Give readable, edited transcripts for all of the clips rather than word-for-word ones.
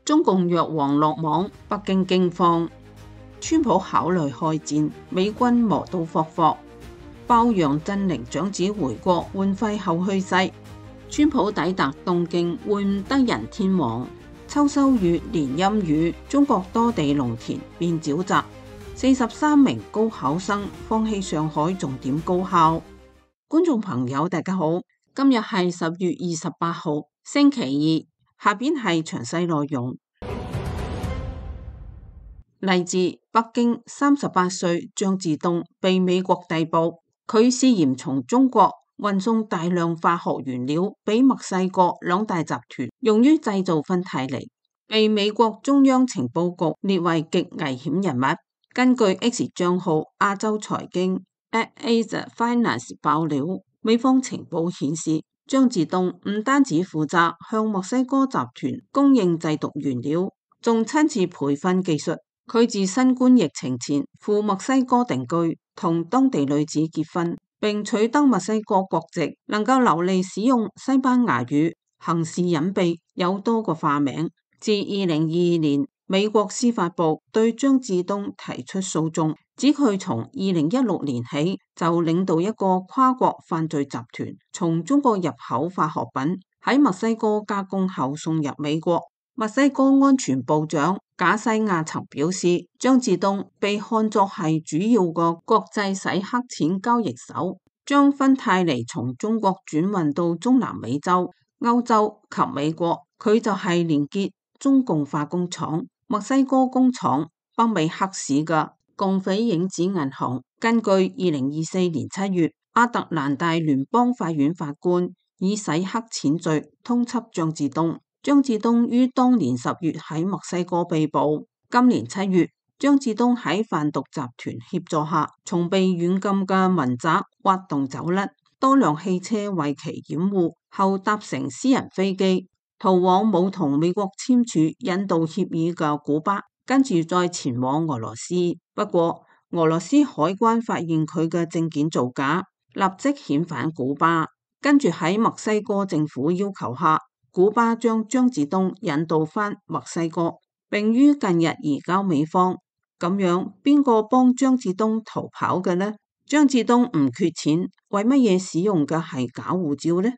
中共藥王落網，北京驚慌。川普考慮開戰，美軍磨刀霍霍。包楊振寧長子回國換肺後去世。川普抵達東京會晤德仁天皇。秋收雨連陰雨，中國多地農田變沼澤。43名高考生放棄上海重點高考。觀眾朋友大家好，今日係10月28號星期二，下邊係詳細內容。嚟自北京38歲張志東被美國逮捕，佢涉嫌從中國運送大量化學原料俾墨西哥兩大集團，用於製造芬太尼，被美國中央情報局列為極危險人物。根據 X 賬號亞洲財經 @Asia Finance 爆料，美方情報顯示，張志東唔單止負責向墨西哥集團供應製毒原料，仲親自培訓技術。佢自新冠疫情前赴墨西哥定居，同當地女子結婚，並取得墨西哥國籍，能夠流利使用西班牙語，行事隱秘，有多個化名。自2022年，美國司法部對張志東提出訴訟，指佢從2016年起就領導一個跨國犯罪集團，從中國入口化學品，喺墨西哥加工後送入美國。墨西哥安全部長賈西亞曾表示，張志東被看作係主要個國際洗黑錢交易手，將芬太尼從中國轉運到中南美洲、歐洲及美國。佢就係連結中共化工廠、墨西哥工廠、北美黑市嘅共匪影子銀行。根據2024年7月亞特蘭大聯邦法院法官以洗黑錢罪通緝張志東。張志東於當年10月喺墨西哥被捕。今年7月，張志東喺販毒集團協助下，從被軟禁嘅民宅挖洞走甩，多輛汽車為其掩護，後搭乘私人飛機逃往冇同美國簽署引渡協議嘅古巴，跟住再前往俄羅斯。不過，俄羅斯海關發現佢嘅證件造假，立即遣返古巴。跟住喺墨西哥政府要求下，古巴將張志東引渡返墨西哥，並於近日移交美方。咁樣邊個幫張志東逃跑嘅呢？張志東唔缺錢，為乜嘢使用嘅係假護照呢？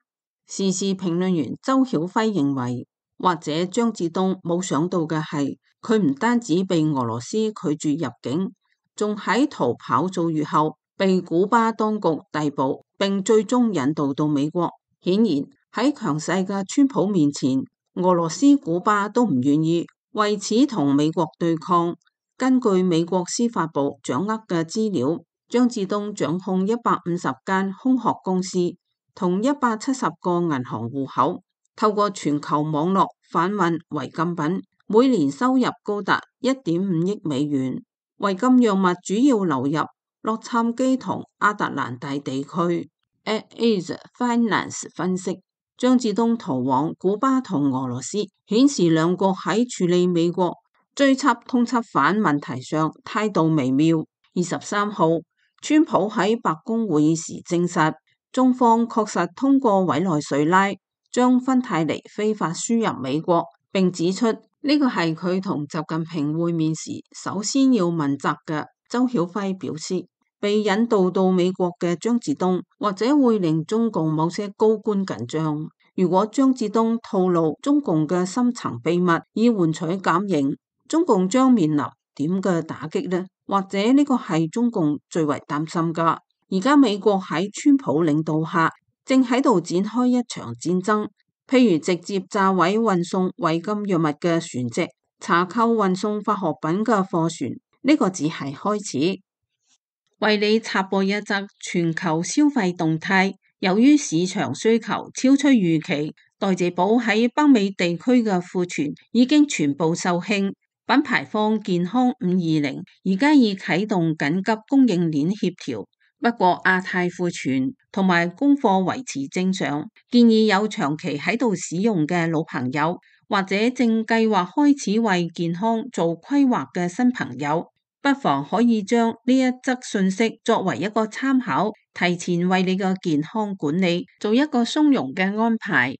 時事評論員周曉輝認為，或者張志東冇想到嘅係，佢唔單止被俄羅斯拒絕入境，仲喺逃跑數月後被古巴當局逮捕，並最終引渡到美國。顯然，喺強勢嘅川普面前，俄羅斯、古巴都唔願意，為此同美國對抗。根據美國司法部掌握嘅資料，張志東掌控150間空殼公司同170個銀行戶口，透過全球網絡販運違禁品，每年收入高達1.5億美元。違禁藥物主要流入洛杉磯同亞特蘭大地區。Asia Finance 分析，張志東逃往古巴同俄羅斯，顯示兩國喺處理美國追緝通緝犯問題上態度微妙。23號，川普喺白宮會議時證實，中方確實通過委內瑞拉將芬太尼非法輸入美國，並指出呢個係佢同習近平會面時首先要問責嘅。周曉輝表示，被引渡到美國嘅張志東或者會令中共某些高官緊張。如果張志東透露中共嘅深層秘密以換取減刑，中共將面臨點嘅打擊呢？或者呢個係中共最為擔心㗎。而家美國喺川普領導下正喺度展開一場戰爭，譬如直接炸毀運送違禁藥物嘅船隻，查扣運送化學品嘅貨船，呢個只係開始。為你插播一則全球消費動態，由於市場需求超出預期，代謝寶喺北美地區嘅庫存已經全部售罄。品牌方健康520而家已啟動緊急供應鏈協調，不過亞太庫存同埋供貨維持正常。建議有長期喺度使用嘅老朋友，或者正計劃開始為健康做規劃嘅新朋友，不妨可以將呢一則信息作為一個參考，提前為你嘅健康管理做一個鬆容嘅安排。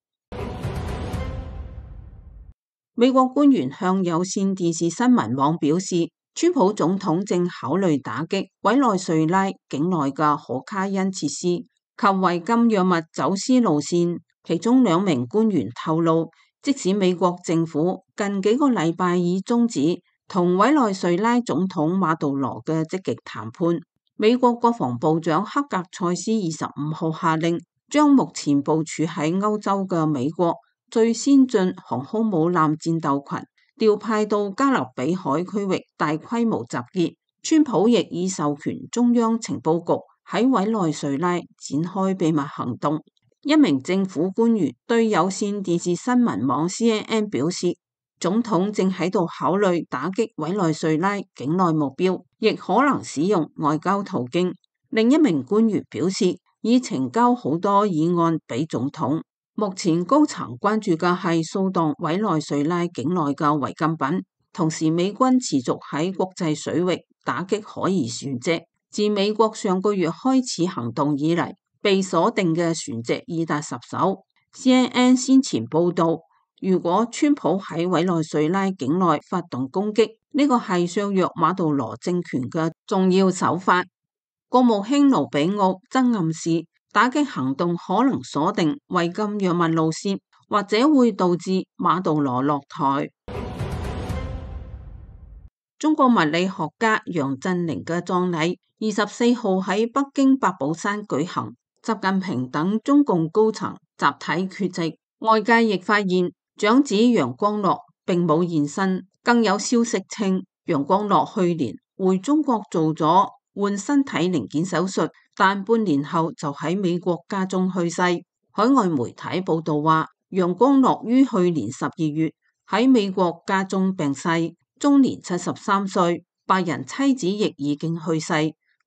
美國官員向有線電視新聞網表示，川普總統正考慮打擊委內瑞拉境內嘅可卡因設施及違禁藥物走私路線。其中2名官員透露，即使美國政府近幾個禮拜已終止同委內瑞拉總統馬杜羅嘅積極談判，美國國防部長克格塞斯25號下令，將目前部署喺歐洲嘅美國最先進航空母艦戰鬥群調派到加勒比海區域大規模集結。川普亦已授權中央情報局喺委內瑞拉展開秘密行動。一名政府官員對有線電視新聞網 CNN 表示，總統正喺度考慮打擊委內瑞拉境內目標，亦可能使用外交途徑。另一名官員表示，已呈交好多議案俾總統。目前高層關注嘅係掃蕩委內瑞拉境內嘅違禁品，同時美軍持續喺國際水域打擊可疑船隻。自美國上個月開始行動以嚟，被鎖定嘅船隻已達10艘。CNN 先前報道，如果川普喺委內瑞拉境內發動攻擊，呢個係削弱馬杜羅政權嘅重要手法。國務卿盧比奧則暗示，打擊行動可能鎖定違禁藥物路線，或者會導致馬杜羅落台。中國物理學家楊振寧嘅葬禮24號喺北京八寶山舉行，習近平等中共高層集體缺席。外界亦發現長子楊光祿並冇現身，更有消息稱楊光祿去年回中國做咗換身體零件手術，但半年後就喺美國家中去世。海外媒體報道話，楊光祿於去年12月喺美國家中病逝，終年73歲。白人妻子亦已經去世，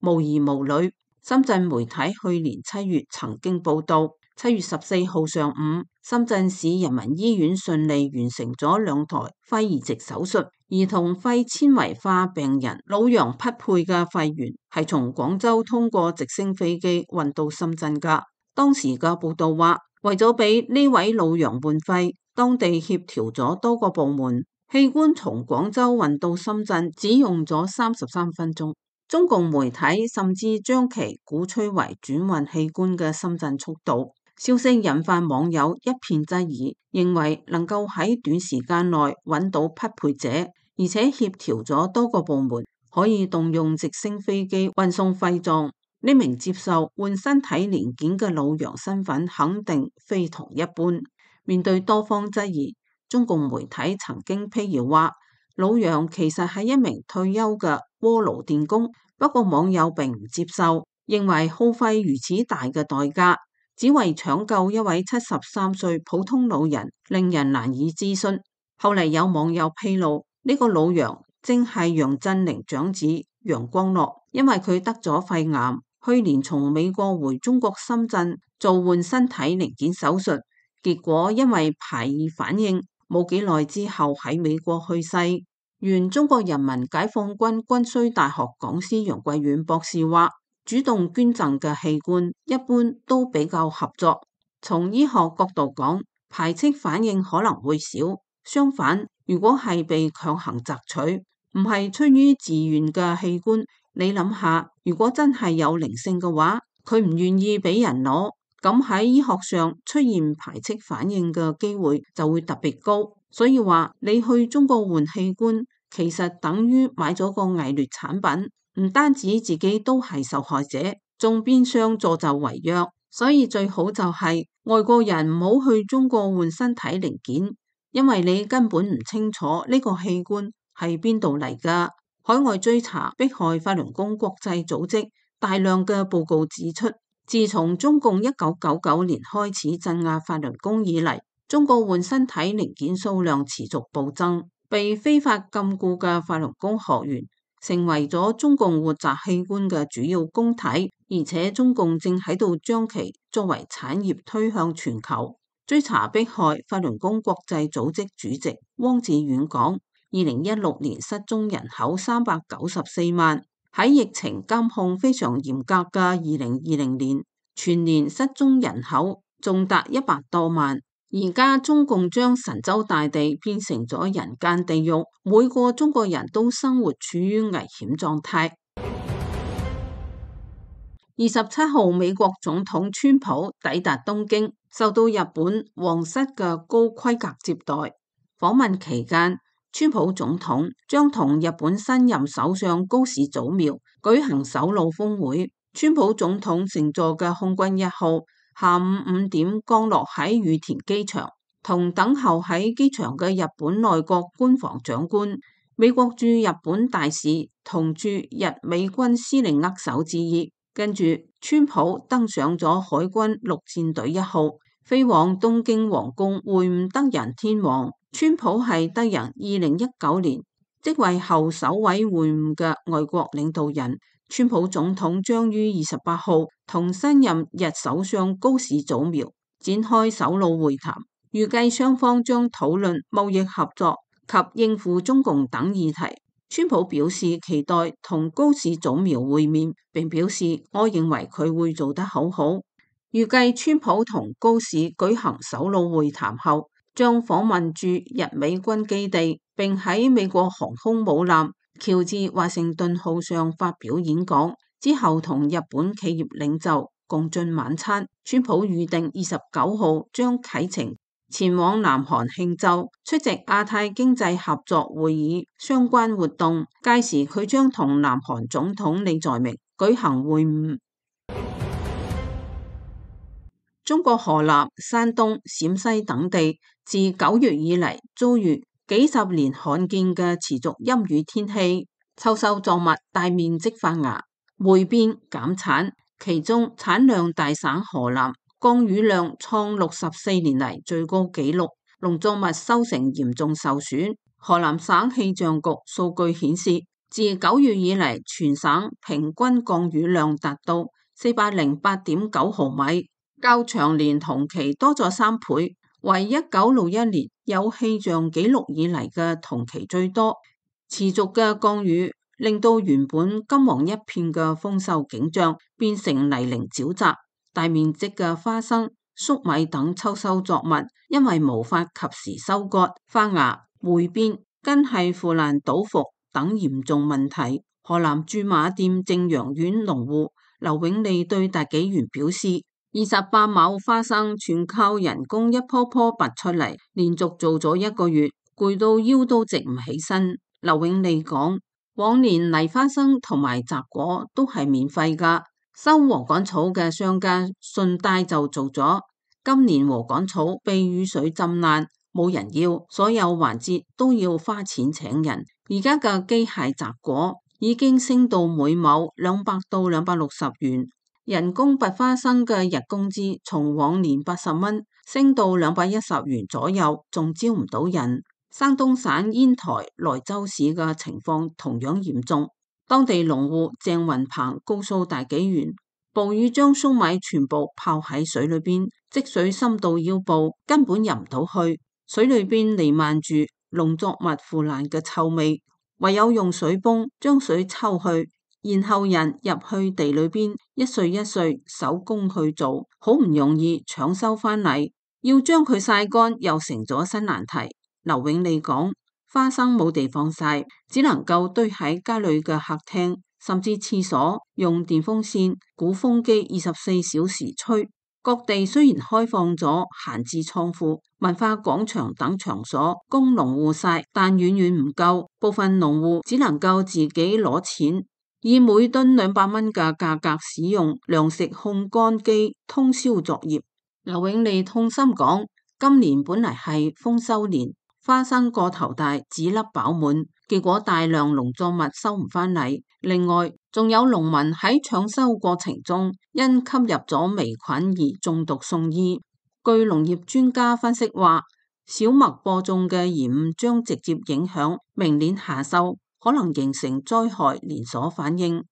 無兒無女。深圳媒體去年7月曾經報道，7月14號上午，深圳市人民醫院順利完成咗2台肺移植手術。兒童肺纖維化病人老楊匹配嘅肺源係從廣州通過直升飛機運到深圳噶。當時嘅報道話，為咗俾呢位老楊換肺，當地協調咗多個部門，器官從廣州運到深圳只用咗33分鐘。中共媒體甚至將其鼓吹為轉運器官嘅深圳速度。消息引發網友一片質疑，認為能夠喺短時間內揾到匹配者，而且協調咗多個部門，可以動用直升飛機運送肺臟。呢名接受換身體零件嘅老楊身份肯定非同一般。面對多方質疑，中共媒體曾經闢謠話，老楊其實係一名退休嘅鍋爐電工。不過網友並唔接受，認為耗費如此大嘅代價，只為搶救一位73歲普通老人，令人難以置信。後嚟有網友披露，呢個老楊正係楊振寧長子楊光祿，因為佢得咗肺癌，去年從美國回中國深圳做換身體零件手術，結果因為排異反應，冇幾耐之後喺美國去世。原中國人民解放軍軍需大學講師楊貴遠博士話，主動捐贈嘅器官一般都比較合作。從醫學角度講，排斥反應可能會少。相反，如果係被強行摘取，唔係出於自願嘅器官，你諗下，如果真係有靈性嘅話，佢唔願意俾人攞，咁喺醫學上出現排斥反應嘅機會就會特別高。所以話你去中國換器官，其實等於買咗個偽劣產品，唔單止自己都係受害者，仲變相助紂為虐。所以最好就係外國人唔好去中國換身體零件，因為你根本唔清楚呢個器官係邊度嚟噶。海外追查迫害法輪功國際組織大量嘅報告指出，自從中共1999年開始鎮壓法輪功以嚟，中國換身體零件數量持續暴增，被非法禁錮嘅法輪功學員成為咗中共活摘器官嘅主要供體，而且中共正喺度將其作為產業推向全球。追查迫害法輪功國際組織主席汪志遠講，2016年失蹤人口394萬，喺疫情監控非常嚴格嘅2020年，全年失蹤人口仲達100多萬。而家中共將神州大地變成咗人間地獄，每個中國人都生活處於危險狀態。27號，美國總統川普抵達東京，受到日本皇室嘅高規格接待。訪問期間，川普總統將同日本新任首相高市早苗舉行首腦峰會。川普總統乘坐嘅空軍1號下午5點降落喺羽田機場，同等候喺機場嘅日本內閣官房長官、美國駐日本大使同駐日美軍司令握手致意。跟住，川普登上咗海軍陸戰隊1號，飛往東京皇宮會晤德仁天皇。川普係德仁2019年即位後首位會晤嘅外國領導人。川普總統將於28號同新任日首相高市早苗展開首腦會談，預計雙方將討論貿易合作及應付中共等議題。川普表示期待同高市早苗會面，並表示我認為佢會做得好好。預計川普同高市舉行首腦會談後，將訪問駐日美軍基地，並喺美國航空母艦喬治華盛頓號上發表演講，之後同日本企業領袖共進晚餐。川普預定29號將啟程前往南韓慶州出席亞太經濟合作會議相關活動，屆時佢將同南韓總統李在明舉行會晤。中國河南、山東、陝西等地自9月以嚟遭遇幾十年罕見嘅持續陰雨天氣，秋收作物大面積發芽、霉變減產，其中產量大省河南降雨量創64年嚟最高紀錄，農作物收成嚴重受損。河南省氣象局數據顯示，自9月以嚟，全省平均降雨量達到408.9毫米，較長年同期多咗3倍，為1961年有氣象紀錄以嚟嘅同期最多。持續嘅降雨令到原本金黃一片嘅豐收景象變成泥濘沼澤，大面積嘅花生、粟米等秋收作物因為無法及時收割，發芽、霉變、根系腐爛倒伏等嚴重問題。河南駐馬店正陽縣農戶劉永利對大紀元表示，28畝花生全靠人工一棵棵拔出嚟，連續做咗1個月，攰到腰都直唔起身。劉永利講，往年泥花生同埋摘果都係免費㗎，收禾稈草嘅商家順帶就做咗。今年禾稈草被雨水浸爛，冇人要，所有環節都要花錢請人。而家嘅機械摘果已經升到每畝200到260元，人工拔花生嘅日工資從往年80蚊升到210元左右，仲招唔到人。山東省煙台萊州市嘅情況同樣嚴重，當地農戶鄭雲鵬告訴大紀元，暴雨將粟米全部泡喺水裏邊，積水深到腰部，根本入唔到去，水裏邊彌漫住農作物腐爛嘅臭味，唯有用水泵將水抽去，然後人入去地裏邊一穗一穗手工去做，好唔容易搶收返嚟，要將佢曬乾又成咗新難題。劉永利講，花生冇地方曬，只能夠堆喺家裏嘅客廳，甚至廁所，用電風扇、鼓風機24小時吹。各地雖然開放咗閒置倉庫、文化廣場等場所供農戶曬，但遠遠唔夠，部分農戶只能夠自己攞錢，以每噸200蚊嘅價格使用糧食烘乾機通宵作業。劉永利痛心講，今年本嚟係豐收年，花生個頭大，籽粒飽滿，結果大量農作物收唔返嚟。另外，仲有農民喺搶收過程中因吸入咗微菌而中毒送醫。據農業專家分析話，小麥播種嘅延誤將直接影響明年夏收，可能形成災害連鎖反應。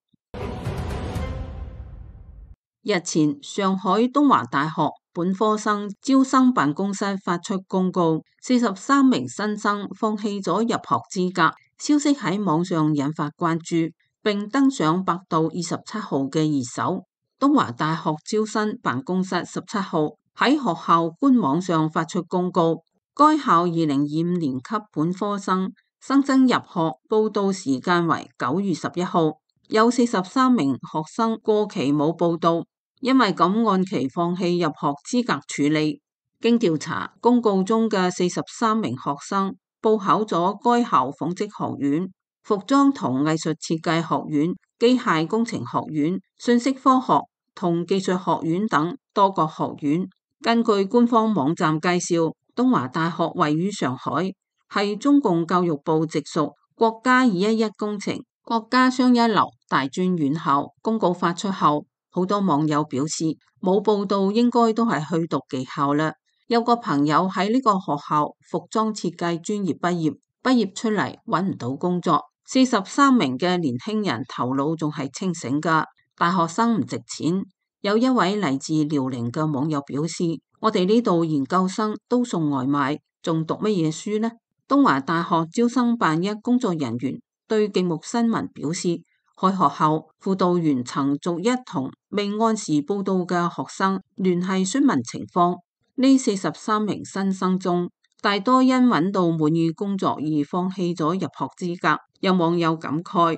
日前，上海東華大學本科生招生辦公室發出公告，43名新生放棄咗入學資格。消息喺網上引發關注，並登上百度27號嘅熱搜。東華大學招生辦公室17號喺學校官網上發出公告，該校2025年級本科生新增入學報到時間為9月11號，有43名學生過期冇報到，因為咁按期放棄入學資格處理。經調查，公告中嘅43名學生報考咗該校紡織學院、服裝同藝術設計學院、機械工程學院、信息科學同技術學院等多個學院。根據官方網站介紹，東華大學位於上海，係中共教育部直屬國家211工程國家雙一流大專院校。公告發出後，好多網友表示冇報到應該都係去讀技校啦。有個朋友喺呢個學校服裝設計專業畢業出嚟揾唔到工作。43名嘅年輕人頭腦仲係清醒㗎，大學生唔值錢。有一位嚟自遼寧嘅網友表示，我哋呢度研究生都送外賣，仲讀乜嘢書呢？東華大學招生辦一工作人員對極目新聞表示，開學後輔導員曾逐一同未按時報到嘅學生聯繫詢問情況。呢43名新生中，大多因揾到滿意工作而放棄咗入學資格。有網友感慨，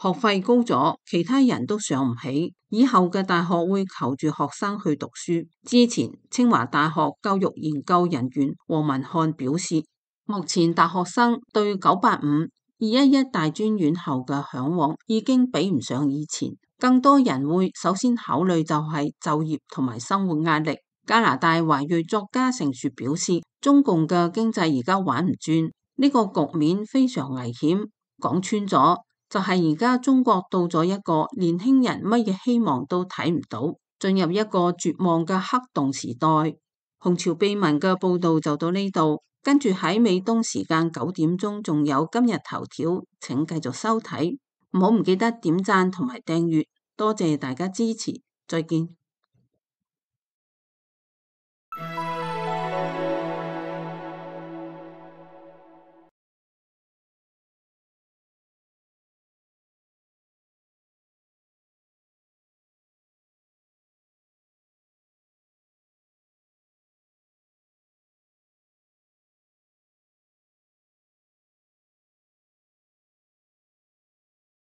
學費高咗，其他人都上唔起，以後嘅大學會求住學生去讀書。之前清華大學教育研究人員黃文漢表示，目前大學生對985、211大專院校嘅向往已經比唔上以前，更多人會首先考慮就係就業同埋生活壓力。加拿大華裔作家盛雪表示，中共嘅經濟而家玩唔轉，呢個局面非常危險。講穿咗，就係而家中國到咗一個年輕人乜嘢希望都睇唔到，進入一個絕望嘅黑洞時代。紅潮秘聞嘅報道就到呢度，跟住喺美東時間9點鐘仲有今日頭條，請繼續收睇，唔記得點讚同埋訂閱，多謝大家支持，再見。